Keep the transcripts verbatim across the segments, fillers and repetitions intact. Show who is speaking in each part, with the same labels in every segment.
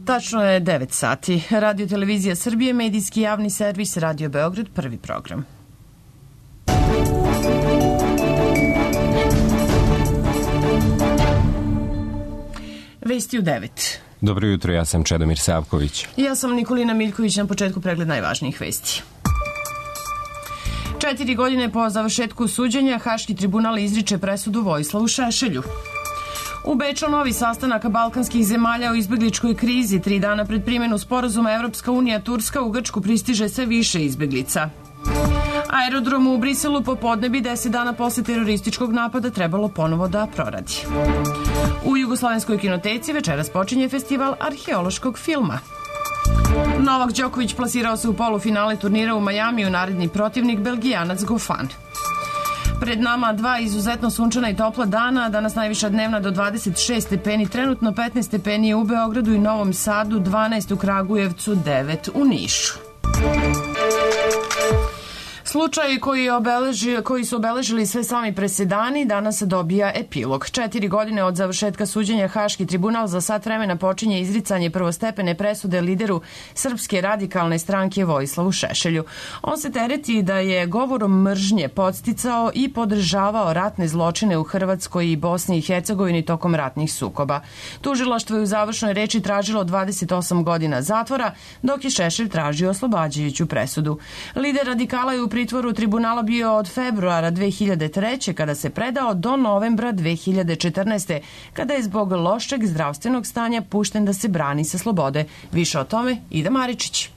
Speaker 1: Tačno je devet sati. Radio Televizija Srbije, medijski javni servis, Radio Beograd, prvi program. Vesti u devet.
Speaker 2: Dobro jutro, ja sam Čedomir Savković.
Speaker 1: Ja sam Nikolina Miljković, na početku pregled najvažnijih vesti. Četiri godine po završetku suđenja, Haški tribunal izriče presudu Vojislavu Šešelju. U Beču novi sastanak balkanskih zemalja o izbegličkoj krizi. Tri dana pred primjenu sporazuma Evropska unija Turska u Grčku pristiže sve više izbeglica. Aerodrom u Briselu popodne bi deset dana posle terorističkog napada trebalo ponovo da proradi. U Jugoslovenskoj kinoteci večeras počinje festival arheološkog filma. Novak Đoković plasirao se u polufinale turnira u Majamiju, naredni protivnik Belgijanac Gofan. Pred nama dva izuzetno sunčana i topla dana, danas najviša dnevna do dvadeset šest stepeni, trenutno petnaest stepeni u Beogradu i Novom Sadu, dvanaest u Kragujevcu, devet u Nišu. Slučaj koji, obeleži, koji su obeležili sve sami presedani danas dobija epilog. Četiri godine od završetka suđenja Haški tribunal za sat vremena počinje izricanje prvostepene presude lideru Srpske radikalne stranke Vojislavu Šešelju. On se tereti da je govorom mržnje podsticao i podržavao ratne zločine u Hrvatskoj i Bosni i Hercegovini tokom ratnih sukoba. Tužilaštvo je u završnoj reči tražilo dvadeset osam godina zatvora, dok je Šešelj tražio oslobađajuću presudu. Lider radikala je u pritvoru tribunala bio od februara dve hiljade treće. kada se predao do novembra dve hiljade četrnaeste. kada je zbog lošeg zdravstvenog stanja pušten da se brani sa slobode. Više o tome Ida Maričić.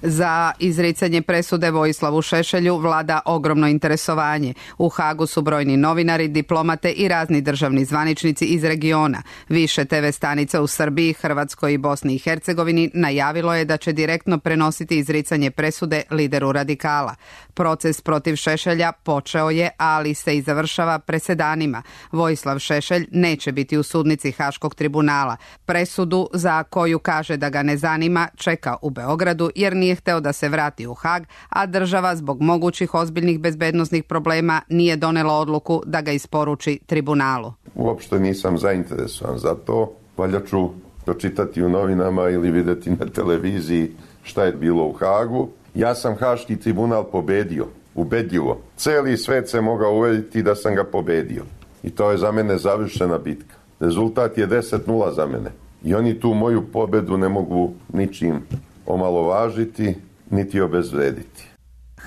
Speaker 3: Za izricanje presude Vojislavu Šešelju vlada ogromno interesovanje. U Hagu su brojni novinari, diplomate i razni državni zvaničnici iz regiona. Više te ve stanica u Srbiji, Hrvatskoj i Bosni i Hercegovini najavilo je da će direktno prenositi izricanje presude lideru radikala. Proces protiv Šešelja počeo je, ali se i završava presedanima. Vojislav Šešelj neće biti u sudnici Haškog tribunala. Presudu, za koju kaže da ga ne zanima, čeka u Beogradu jer nije hteo da se vrati u Hag, a država zbog mogućih ozbiljnih bezbednosnih problema nije donela odluku da ga isporuči tribunalu.
Speaker 4: Uopšte nisam zainteresovan za to. Valjda ću pročitati u novinama ili videti na televiziji šta je bilo u Hagu. Ja sam Haški tribunal pobedio, ubedljivo. Celi svet se mogao uveriti da sam ga pobedio. I to je za mene završena bitka. Rezultat je deset nula za mene. I oni tu moju pobedu ne mogu ničim omalovažiti, niti obezvrediti.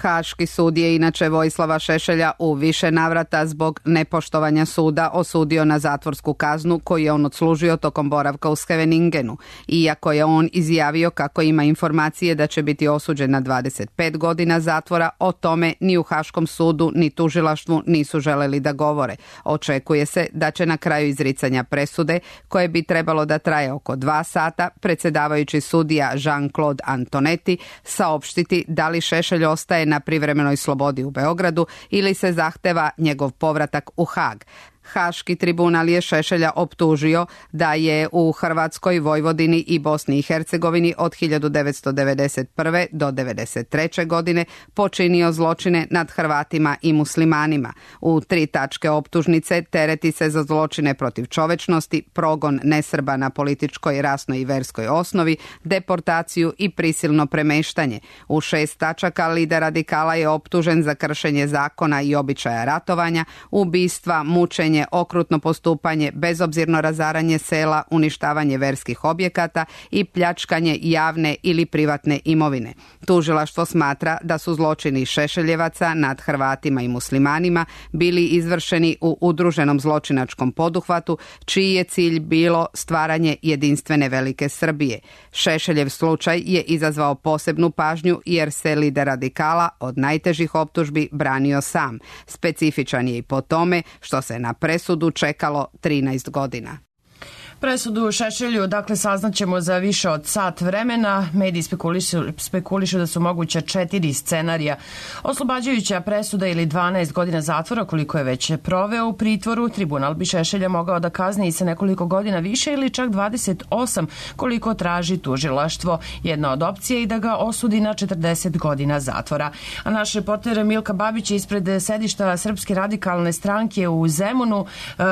Speaker 3: Haški sud je inače Vojislava Šešelja u više navrata zbog nepoštovanja suda osudio na zatvorsku kaznu koju je on odslužio tokom boravka u Scheveningenu. Iako je on izjavio kako ima informacije da će biti osuđen na dvadeset pet godina zatvora, o tome ni u Haškom sudu ni tužilaštvu nisu želeli da govore. Očekuje se da će na kraju izricanja presude, koje bi trebalo da traje oko dva sata, predsjedavajući sudija Jean-Claude Antonetti saopštiti da li Šešelj ostaje na privremenoj slobodi u Beogradu ili se zahteva njegov povratak u Hag. Haški tribunal je Šešelja optužio da je u Hrvatskoj, Vojvodini i Bosni i Hercegovini od hiljadu devetsto devedeset prve. do devedeset treće. godine počinio zločine nad Hrvatima i muslimanima. U tri tačke optužnice tereti se za zločine protiv čovečnosti, progon nesrba na političkoj, rasnoj i verskoj osnovi, deportaciju i prisilno premeštanje. U šest tačaka lider radikala je optužen za kršenje zakona i običaja ratovanja, ubistva, mučenje, okrutno postupanje, bezobzirno razaranje sela, uništavanje verskih objekata i pljačkanje javne ili privatne imovine. Tužilaštvo smatra da su zločini Šešeljevaca nad Hrvatima i muslimanima bili izvršeni u udruženom zločinačkom poduhvatu, čiji je cilj bilo stvaranje jedinstvene velike Srbije. Šešeljev slučaj je izazvao posebnu pažnju jer se lider radikala od najtežih optužbi branio sam. Specifičan je i po tome što se na presudu čekalo trinaest godina.
Speaker 1: Presudu Šešelju, dakle, saznaćemo za više od sat vremena. Mediji spekulišu, spekulišu da su moguća četiri scenarija. Oslobađajuća presuda ili dvanaest godina zatvora, koliko je već proveo u pritvoru. Tribunal bi Šešelja mogao da kazni i sa nekoliko godina više ili čak dvadeset osam, koliko traži tužilaštvo. Jedna od opcija je i da ga osudi na četrdeset godina zatvora. A naš reporter Milka Babić je ispred sedišta Srpske radikalne stranke u Zemunu.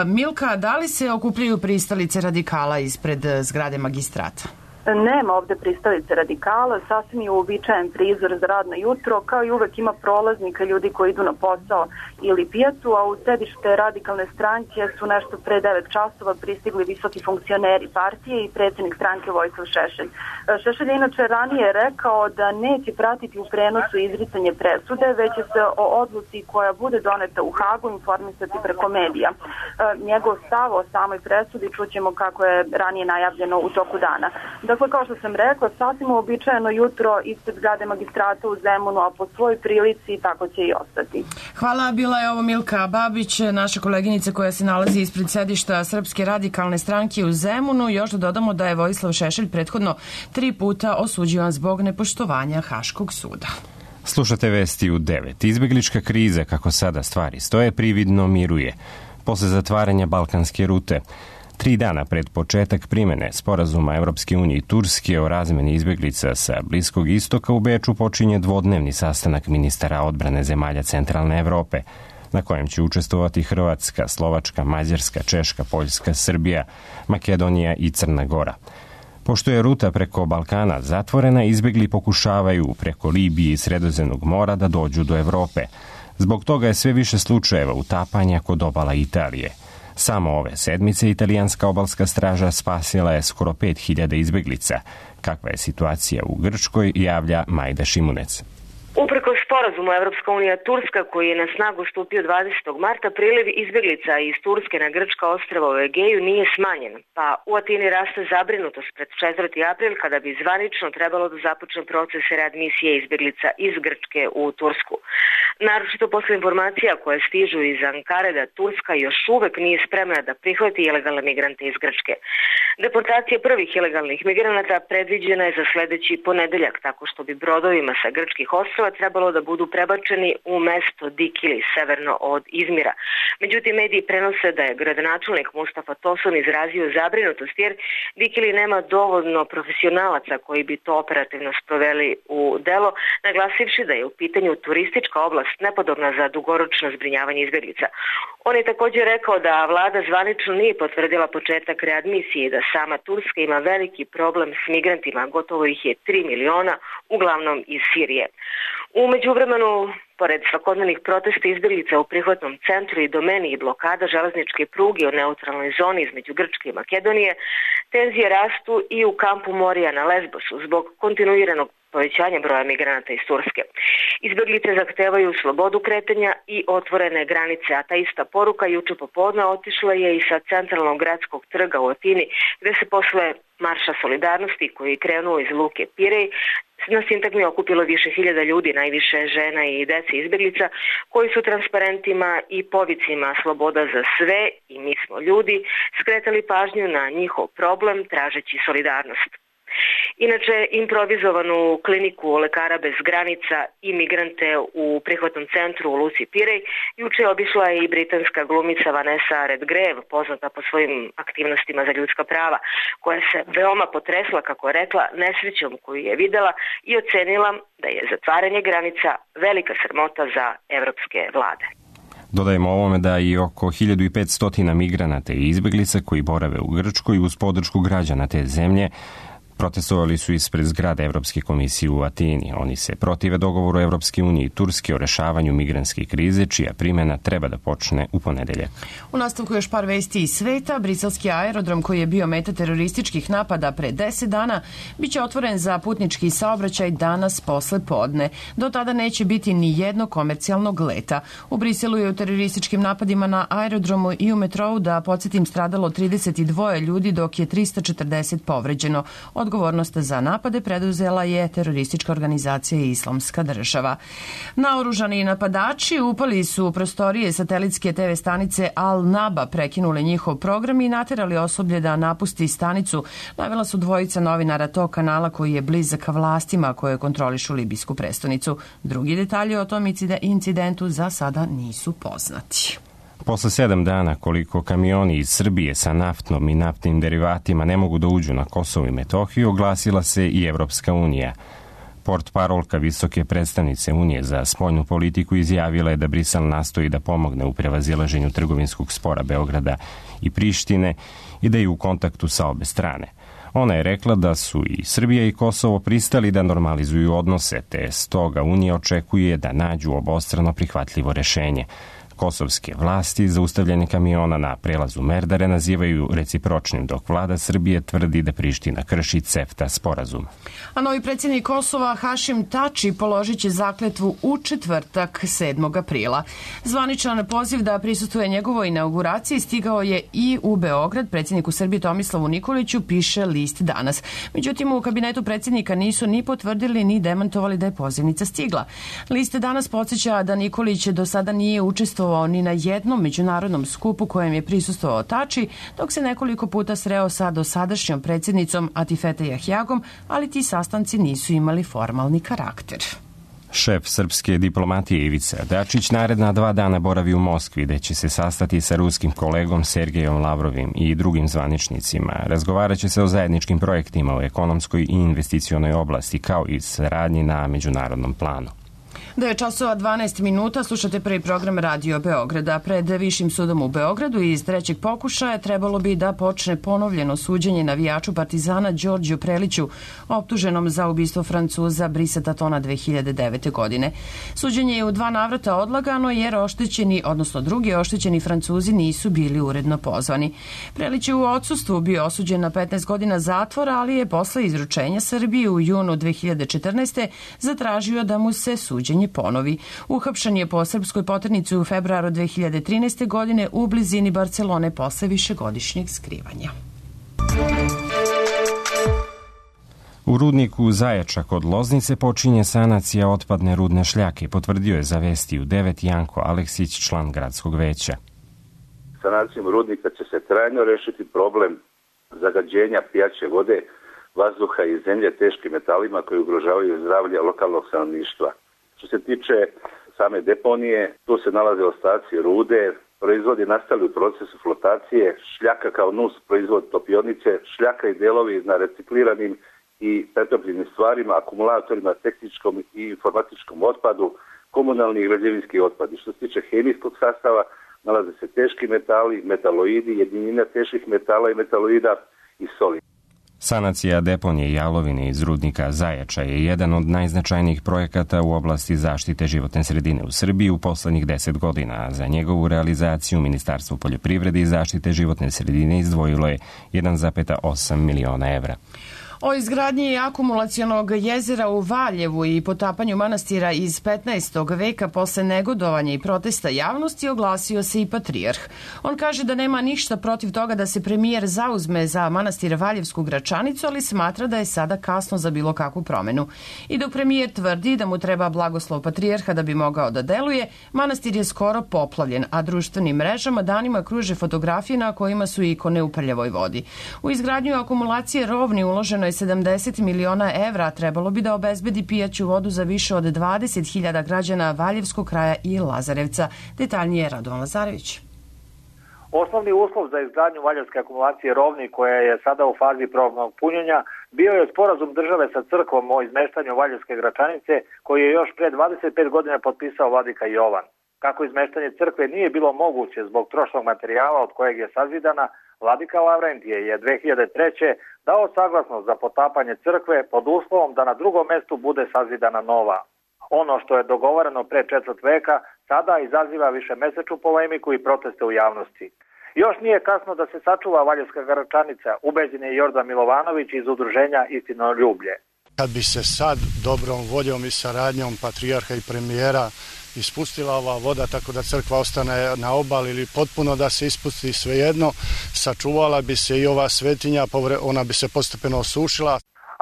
Speaker 1: Milka, da li se okupljaju pristalice radikala ispred zgrade magistrata?
Speaker 5: Nema ovde pristalice radikala, sasvim je uobičajen prizor za radno jutro, kao i uvek ima prolaznika, ljudi koji idu na posao ili pijacu, a u sedište radikalne stranke su nešto pre devet časova pristigli visoki funkcioneri partije i predsjednik stranke Vojislav Šešelj. Šešelj je inače ranije rekao da neće pratiti u prenosu izricanje presude, već će se o odluci koja bude doneta u Hagu informisati preko medija. Njegov stav o samoj presudi čućemo kako je ranije najavljeno u toku dana. Dakle, kao što sam rekla, sasvim uobičajeno jutro ispred zgrade magistrata u Zemunu, a po svojoj prilici tako će i ostati.
Speaker 1: Hvala, bila je ovo Milka Babić, naša koleginica koja se nalazi ispred sedišta Srpske radikalne stranke u Zemunu. Još da dodamo da je Vojislav Šešelj prethodno tri puta osuđivan zbog nepoštovanja Haškog suda.
Speaker 2: Slušate vesti u devet. Izbeglička kriza, kako sada stvari stoje, prividno miruje. Posle zatvaranja balkanske rute, tri dana pred početak primene sporazuma Evropske unije i Turske o razmeni izbeglica sa Bliskog istoka, u Beču počinje dvodnevni sastanak ministara odbrane zemalja centralne Evrope, na kojem će učestvovati Hrvatska, Slovačka, Mađarska, Češka, Poljska, Srbija, Makedonija i Crna Gora. Pošto je ruta preko Balkana zatvorena, izbegli pokušavaju preko Libije i Sredozemnog mora da dođu do Evrope. Zbog toga je sve više slučajeva utapanja kod obala Italije. Samo ove sedmice italijanska obalska straža spasila je skoro pet hiljada izbeglica. Kakva je situacija u Grčkoj, javlja Majda Šimunec.
Speaker 6: Upreko sporazumu Evropska unija Turska, koji je na snagu stupio dvadesetog marta, priliv izbeglica iz Turske na grčka ostrva u Egeju nije smanjen, pa u Atini raste zabrinutost pred četvrti april, kada bi zvanično trebalo da započne proces readmisije izbeglica iz Grčke u Tursku. Naročito posle informacija koje stižu iz Ankare da Turska još uvek nije spremna da prihvati ilegalne migrante iz Grčke. Deportacija prvih ilegalnih migranata predviđena je za sledeći ponedeljak, tako što bi brodovima sa grčkih ostrva trebalo da budu prebačeni u mesto Dikili, severno od Izmira. Međutim, mediji prenose da je gradonačelnik Mustafa Tosun izrazio zabrinutost jer Dikili nema dovoljno profesionalaca koji bi to operativno sproveli u delo, naglasivši da je u pitanju turistička oblast nepodobna za dugoročno zbrinjavanje izbeglica. On je također rekao da vlada zvanično nije potvrdila početak readmisije i da sama Turska ima veliki problem s migrantima, gotovo ih je tri miliona, uglavnom iz Sirije. U međuvremenu, pored svakodnevnih protesta izbeglica u prihvatnom centru i domeni i blokada železničke pruge u neutralnoj zoni između Grčke i Makedonije, tenzije rastu i u kampu Morija na Lesbosu zbog kontinuiranog povećanja broja migranata iz Turske. Izbeglice zahtevaju slobodu kretanja i otvorene granice, a ta ista poruka juče popodne otišla je i sa centralnog gradskog trga u Atini, gde se posle Marša solidarnosti koji je krenuo iz luke Pirej na sintagmi okupilo više hiljada ljudi, najviše žena i dece izbeglica, koji su transparentima i povicima sloboda za sve i mi smo ljudi skretali pažnju na njihov problem tražeći solidarnost. Inače, improvizovanu kliniku lekara bez granica i migrante u prihvatnom centru u luci Pirej juče obišla i britanska glumica Vanessa Redgrave, poznata po svojim aktivnostima za ljudska prava, koja se veoma potresla, kako je rekla, nesrećom koju je videla i ocenila da je zatvaranje granica velika sramota za evropske vlade.
Speaker 2: Dodajemo ovome da i oko hiljadu petsto migranata i izbeglica koji borave u Grčkoj uz podršku građana te zemlje protestovali su ispred zgrade Evropske komisije u Atini. Oni se protive dogovoru Evropske unije i Turske o rešavanju migrantske krize, čija primjena treba da počne u ponedeljak.
Speaker 1: U nastavku još par vesti iz sveta. Briselski aerodrom koji je bio meta terorističkih napada pre deset dana biće otvoren za putnički saobraćaj danas posle podne. Do tada neće biti ni jednog komercijalnog leta. U Briselu je u terorističkim napadima na aerodromu i u metrou, da podsjetim, stradalo trideset dva ljudi, dok je trista četrdeset povređeno. Odgovornost za napade preduzela je teroristička organizacija Islamska država. Naoružani napadači upali su u prostorije satelitske te ve stanice Al Naba, prekinuli njihov program i naterali osoblje da napusti stanicu. Navela su dvojica novinara tog kanala koji je blizak vlastima koje kontrolišu libijsku prestonicu. Drugi detalji o tom incidentu za sada nisu poznati.
Speaker 2: Posle sedam dana koliko kamioni iz Srbije sa naftnom i naftnim derivatima ne mogu da uđu na Kosovo i Metohiju, oglasila se i Evropska unija. Portparolka visoke predstavnice Unije za spoljnu politiku izjavila je da Brisel nastoji da pomogne u prevazilaženju trgovinskog spora Beograda i Prištine i da je u kontaktu sa obe strane. Ona je rekla da su i Srbija i Kosovo pristali da normalizuju odnose, te stoga Unija očekuje da nađu obostrano prihvatljivo rešenje. Kosovske vlasti zaustavljanje kamiona na prelazu Merdare nazivaju recipročnim, dok vlada Srbije tvrdi da Priština krši CEFTA sporazum.
Speaker 1: A novi predsjednik Kosova Hašim Tači položit će zakletvu u četvrtak sedmog aprila. Zvaničan poziv da prisustvuje njegovoj inauguraciji stigao je i u Beograd. Predsjedniku Srbije Tomislavu Nikoliću piše list Danas. Međutim, u kabinetu predsjednika nisu ni potvrdili ni demantovali da je pozivnica stigla. List Danas podsjeća da Nikolić do sada nije učestvovao ni na jednom međunarodnom skupu kojem je prisustvovao Tači, dok se nekoliko puta sreo sa dosadašnjom predsjednicom Atifete Jahjagom, ali ti sastanci nisu imali formalni karakter.
Speaker 2: Šef srpske diplomatije Ivica Dačić naredna dva dana boravi u Moskvi, gde će se sastati sa ruskim kolegom Sergejom Lavrovim i drugim zvaničnicima. Razgovarat će se o zajedničkim projektima u ekonomskoj i investicionoj oblasti, kao i saradnji na međunarodnom planu.
Speaker 1: devet časova dvanaest minuta, slušate prvi program Radio Beograda. Pred Višim sudom u Beogradu iz trećeg pokušaja trebalo bi da počne ponovljeno suđenje navijaču Partizana Đorđu Preliću, optuženom za ubistvo Francuza Brisa Tatona dve hiljade devete. godine. Suđenje je u dva navrata odlagano jer oštećeni, odnosno drugi oštećeni Francuzi nisu bili uredno pozvani. Prelić je u odsustvu bio osuđen na petnaest godina zatvora, ali je posle izručenja Srbije u junu dve hiljade četrnaeste. zatražio da mu se suđenje ponovi. Uhapšen je po srpskoj poternici u februaru dve hiljade trinaeste. godine u blizini Barcelone posle višegodišnjeg skrivanja.
Speaker 2: U rudniku Zajača kod Loznice počinje sanacija otpadne rudne šljake, potvrdio je za Vesti u devet Janko Aleksić, član gradskog veća.
Speaker 7: Sanacijom rudnika će se trajno rešiti problem zagađenja pijaće vode, vazduha i zemlje teškim metalima koji ugrožavaju zdravlje lokalnog stanovništva. Što se tiče same deponije, tu se nalaze ostaci rude, proizvodi nastali u procesu flotacije, šljaka kao nus proizvod topionice, šljaka i delovi na recikliranim i pretopljenim stvarima, akumulatorima, tehničkom i informatičkom otpadu, komunalni i građevinski otpadi. Što se tiče hemijskog sastava, nalaze se teški metali, metaloidi, jedinina teških metala i metaloida i soli.
Speaker 2: Sanacija deponije jalovine iz rudnika Zajača je jedan od najznačajnijih projekata u oblasti zaštite životne sredine u Srbiji u poslednjih deset godina, a za njegovu realizaciju Ministarstvo poljoprivrede i zaštite životne sredine izdvojilo je jedan zarez osam miliona evra.
Speaker 1: O izgradnji akumulacionog jezera u Valjevu i potapanju manastira iz petnaestog. veka posle negodovanja i protesta javnosti oglasio se i patrijarh. On kaže da nema ništa protiv toga da se premijer zauzme za manastir Valjevsku Gračanicu, ali smatra da je sada kasno za bilo kakvu promenu. I dok premijer tvrdi da mu treba blagoslov patrijarha da bi mogao da deluje, manastir je skoro poplavljen, a društvenim mrežama danima kruže fotografije na kojima su ikone u prljavoj vodi. U izgradnju akumulacije Rovni uloženo je sedamdeset miliona evra, trebalo bi da obezbedi pijaću vodu za više od dvadeset hiljada građana Valjevskog kraja i Lazarevca. Detaljnije Radovan Lazarević.
Speaker 8: Osnovni uslov za izgradnju Valjevske akumulacije Rovni, koja je sada u fazi probnog punjenja, bio je sporazum države sa crkvom o izmeštanju Valjevske Gračanice, koji je još pre dvadeset pet godina potpisao vladika Jovan. Kako izmeštanje crkve nije bilo moguće zbog trošnog materijala od kojeg je sazidana, vladika Lavrentije je dve hiljade treće. dao saglasnost za potapanje crkve pod uslovom da na drugom mestu bude sazidana nova. Ono što je dogovoreno pre četvrt veka sada izaziva višemesečnu polemiku i proteste u javnosti. Još nije kasno da se sačuva Valjevska Gračanica, ubeđen je Jordan Milovanović iz udruženja Istinoljublje.
Speaker 9: Kad bi se sad dobrom voljom i saradnjom patrijarha i premijera ispustila ova voda tako da crkva ostane na obali ili potpuno da se ispusti, svejedno, sačuvala bi se i ova svetinja, ona bi se postepeno osušila.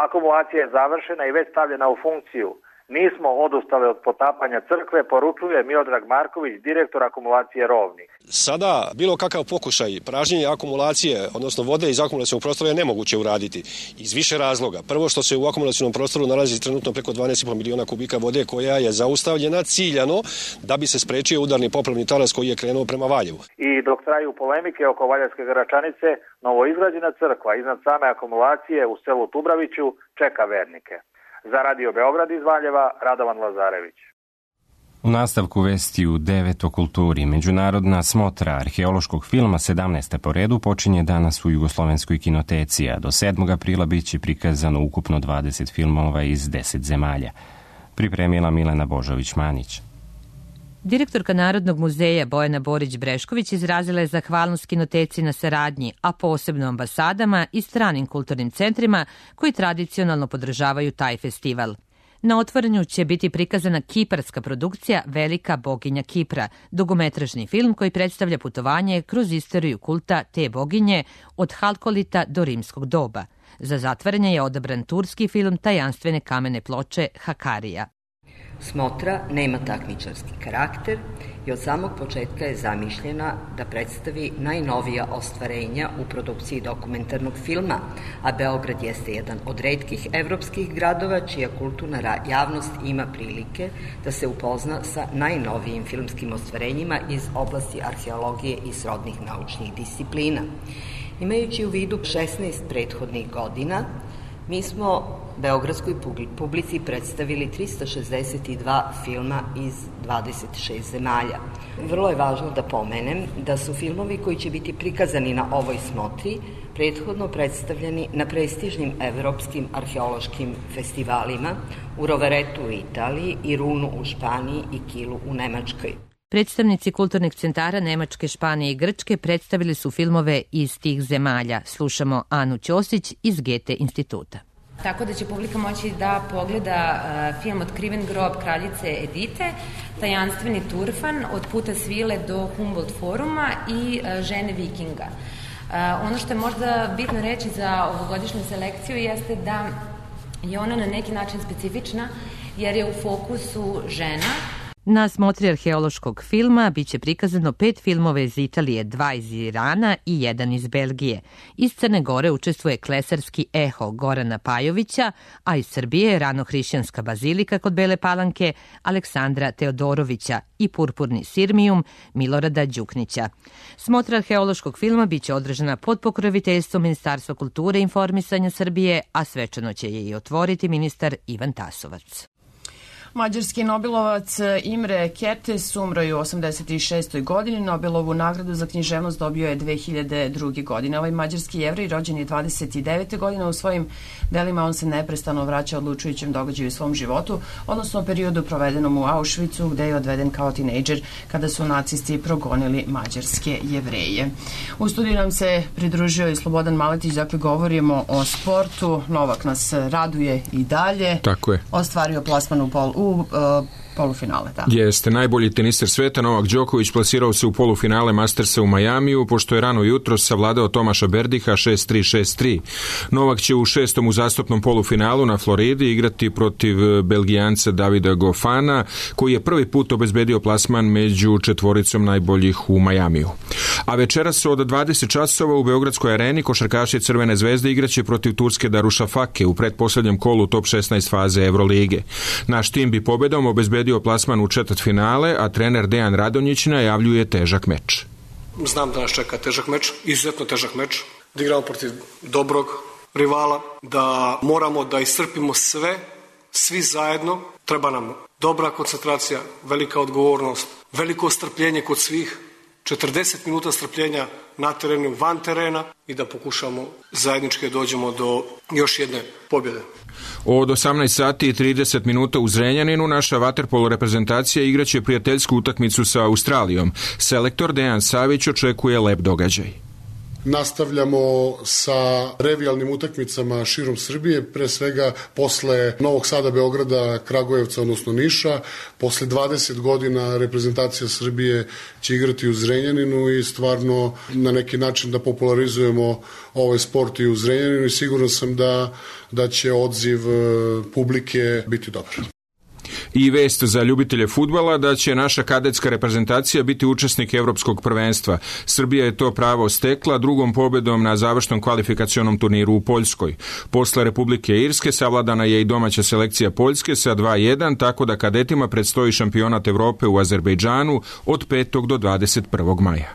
Speaker 8: Akumulacija je završena i već stavljena u funkciju. Nismo odustali od potapanja crkve, poručuje Miodrag Marković, direktor akumulacije Rovni.
Speaker 10: Sada bilo kakav pokušaj pražnjenja akumulacije, odnosno vode iz akumulacionog prostora je nemoguće uraditi iz više razloga. Prvo što se u akumulacionom prostoru nalazi trenutno preko dvanaest i po miliona kubika vode koja je zaustavljena ciljano da bi se sprečio udarni poplavni talas koji je krenuo prema Valjevu.
Speaker 8: I dok traju polemike oko Valjevske Gračanice, novoizgrađena crkva iznad same akumulacije u selu Tubraviću čeka vernike. Za Radio Beograd iz Valjeva, Radovan Lazarević.
Speaker 2: U nastavku vesti u devet o kulturi. Međunarodna smotra arheološkog filma sedamnaesta po redu počinje danas u Jugoslovenskoj kinoteci, a do sedmog aprila bit će prikazano ukupno dvadeset filmova iz deset zemalja. Pripremila Milena Božović-Manić.
Speaker 11: Direktorka Narodnog muzeja Bojana Borić-Brešković izrazila je zahvalnost kinoteci na saradnji, a posebno ambasadama i stranim kulturnim centrima koji tradicionalno podržavaju taj festival. Na otvorenju će biti prikazana kiparska produkcija Velika boginja Kipra, dugometražni film koji predstavlja putovanje kroz istoriju kulta te boginje od Halkolita do rimskog doba. Za zatvaranje je odabran turski film tajanstvene kamene ploče Hakarija.
Speaker 12: Smotra nema takmičarski karakter i od samog početka je zamišljena da predstavi najnovija ostvarenja u produkciji dokumentarnog filma, a Beograd jeste jedan od retkih evropskih gradova čija kulturna javnost ima prilike da se upozna sa najnovijim filmskim ostvarenjima iz oblasti arheologije i srodnih naučnih disciplina. Imajući u vidu šesnaest prethodnih godina, mi smo beogradskoj publici predstavili trista šezdeset dva filma iz dvadeset šest zemalja. Vrlo je važno da pomenem da su filmovi koji će biti prikazani na ovoj smotri prethodno predstavljeni na prestižnim evropskim arheološkim festivalima u Roveretu u Italiji, Irunu u Španiji i Kilu u Nemačkoj.
Speaker 11: Predstavnici kulturnih centara Nemačke, Španije i Grčke predstavili su filmove iz tih zemalja. Slušamo Anu Ćosić iz Gete instituta.
Speaker 13: Tako da će publika moći da pogleda uh, film Otkriven grob kraljice Edite, tajanstveni Turfan, od Puta svile do Humboldt foruma i uh, Žene vikinga. Uh, ono što je možda bitno reći za ovogodišnju selekciju jeste da je ona na neki način specifična jer je u fokusu žena.
Speaker 11: Na smotri arheološkog filma biće prikazano pet filmova iz Italije, dva iz Irana i jedan iz Belgije. Iz Crne Gore učestvuje klesarski Eho Gorana Pajovića, a iz Srbije ranohrišćanska bazilika kod Bele Palanke Aleksandra Teodorovića i purpurni Sirmijum Milorada Đuknića. Smotra arheološkog filma biće održana pod pokroviteljstvom Ministarstva kulture i informisanja Srbije, a svečano će je i otvoriti ministar Ivan Tasovac.
Speaker 1: Mađarski Nobelovac Imre Kertész umro je u osamdeset šestoj godini. Nobelovu nagradu za književnost dobio je dve hiljade druge. godine. Ovaj mađarski Jevrej rođen je dvadeset devete. godine. U svojim delima on se neprestano vraća odlučujućem događaju u svom životu, odnosno periodu provedenom u Auschwitzu, gde je odveden kao tinejdžer kada su nacisti progonili mađarske Jevreje. U studiju nam se pridružio i Slobodan Maletić, dakle govorimo o sportu. Novak nas raduje i dalje.
Speaker 14: Tako je.
Speaker 1: Ostvario plasman u pol u uh, polufinale, da.
Speaker 14: Jeste, najbolji teniser sveta Novak Đoković plasirao se u polufinale Mastersa u Majamiju, pošto je rano jutro savladao Tomaša Berdiha šest tri šest tri. Novak će u šestom uzastopnom polufinalu na Floridi igrati protiv Belgijanca Davida Gofana, koji je prvi put obezbedio plasman među četvoricom najboljih u Majamiju. A večeras od dvadeset časova u Beogradskoj areni košarkaši Crvene zvezde igraće protiv Turske Darušafake u pretposlednjem kolu top šesnaest faze Evrolige. Naš tim bi pobedom obezbedio plasman u četvrtfinale, a trener Dejan Radonjić najavljuje težak meč.
Speaker 15: Znam da nas čeka težak meč, izuzetno težak meč, da igramo protiv dobrog rivala, da moramo da iscrpimo sve, svi zajedno. Treba nam dobra koncentracija, velika odgovornost, veliko strpljenje kod svih, četrdeset minuta strpljenja na terenu, van terena i da pokušamo zajednički dođemo do još jedne pobjede.
Speaker 14: Od osamnaest sati i trideset minuta u Zrenjaninu naša vaterpolo reprezentacija igraće prijateljsku utakmicu sa Australijom. Selektor Dejan Savić očekuje lep događaj.
Speaker 16: Nastavljamo sa revijalnim utakmicama širom Srbije, pre svega posle Novog Sada, Beograda, Kragujevca, odnosno Niša. Posle dvadeset godina reprezentacija Srbije će igrati u Zrenjaninu i stvarno na neki način da popularizujemo ovaj sport i u Zrenjaninu i siguran sam da, da će odziv publike biti dobar.
Speaker 14: I vest za ljubitelje fudbala da će naša kadetska reprezentacija biti učesnik evropskog prvenstva. Srbija je to pravo stekla drugom pobedom na završnom kvalifikacionom turniru u Poljskoj. Posle Republike Irske savladana je i domaća selekcija Poljske sa dva jedan, tako da kadetima predstoji šampionat Evrope u Azerbejdžanu od petog do dvadeset prvog maja.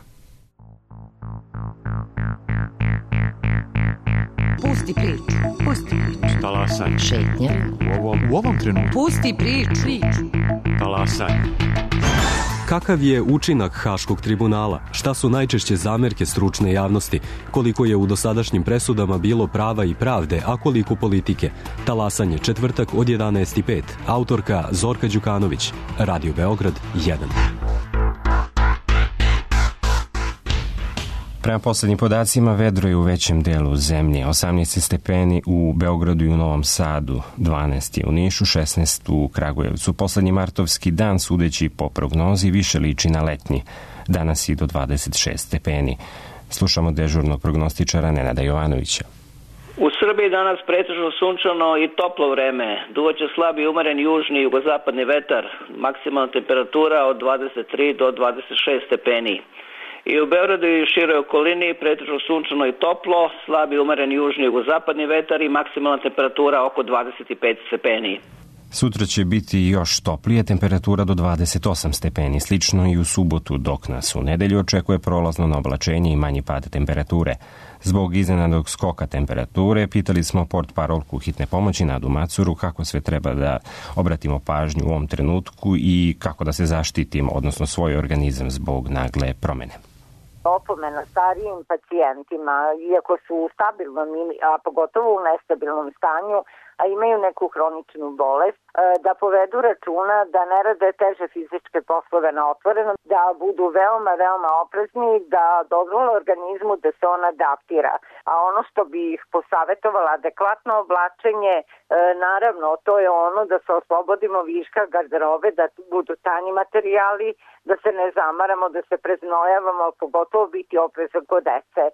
Speaker 17: Pusti priču, pusti priču.
Speaker 18: Šta laš?
Speaker 17: Talasaj.
Speaker 11: Šetnja.
Speaker 17: U ovom, u ovom trenutku.
Speaker 11: Pusti priču.
Speaker 17: Talasaj.
Speaker 18: Kakav je učinak Haškog tribunala? Šta su najčešće zamerke stručne javnosti? Koliko je u dosadašnjim presudama bilo prava i pravde, a koliko politike? Talasanje, četvrtak od jedanaest i pet. Autorka Zorka Đukanović. Radio Beograd jedan.
Speaker 2: Prema poslednjim podacima, vedro je u većem delu zemlje. osamnaest stepeni u Beogradu i u Novom Sadu, dvanaest je u Nišu, šesnaest u Kragujevcu. Poslednji martovski dan, sudeći po prognozi, više liči na letnji. Danas i do dvadeset šest stepeni. Slušamo dežurnog prognostičara Nenada Jovanovića.
Speaker 19: U Srbiji danas pretežno sunčano i toplo vreme. Duvaće slabi umeren južni i jugozapadni vetar. Maksimalna temperatura od dvadeset tri do dvadeset šest stepeni. I u Beogradu i široj okolini pretežno sunčano i toplo, slabi umeren južni i jugozapadni vetar i maksimalna temperatura oko dvadeset pet stepeni.
Speaker 2: Sutra će biti još toplije, temperatura do dvadeset osam stepeni, slično i u subotu, dok nas u nedelju očekuje prolazno na oblačenje i manji pad temperature. Zbog iznenadnog skoka temperature pitali smo portparolku hitne pomoći Nadu Macuru kako sve treba da obratimo pažnju u ovom trenutku i kako da se zaštitimo, odnosno svoj organizam zbog nagle promene.
Speaker 20: Opomena starijim pacijentima, iako su u stabilnom, a pogotovo u nestabilnom stanju, a imaju neku hroničnu bolest, da povedu računa da ne rade teže fizičke poslove na otvorenom, da budu veoma, veoma oprezni, da dozvole organizmu da se on adaptira. A ono što bi ih posavetovala, adekvatno oblačenje, naravno, to je ono da se oslobodimo viška garderobe, da budu tanji materijali, da se ne zamaramo, da se preznojavamo, pogotovo biti oprezan kod dece,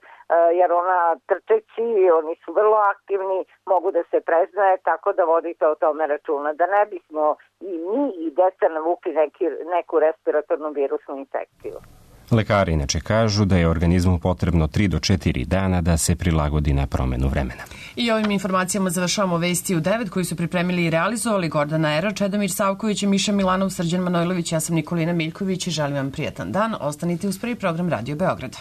Speaker 20: jer ona trčeći, oni su vrlo aktivni, mogu da se preznoje, tako da vodite o tome računa, da ne bismo i mi i deca navukli neki, neku respiratornu virusnu infekciju.
Speaker 2: Lekari inače kažu da je organizmu potrebno tri do četiri dana da se prilagodi na promenu vremena.
Speaker 1: I ovim informacijama završavamo Vesti u devet koji su pripremili i realizovali Gordana Era, Čedomir Savković i Miša Milanov, Srđan Manojlović, ja sam Nikolina Miljković i želim vam prijatan dan. Ostanite uz prvi program Radio Beograda.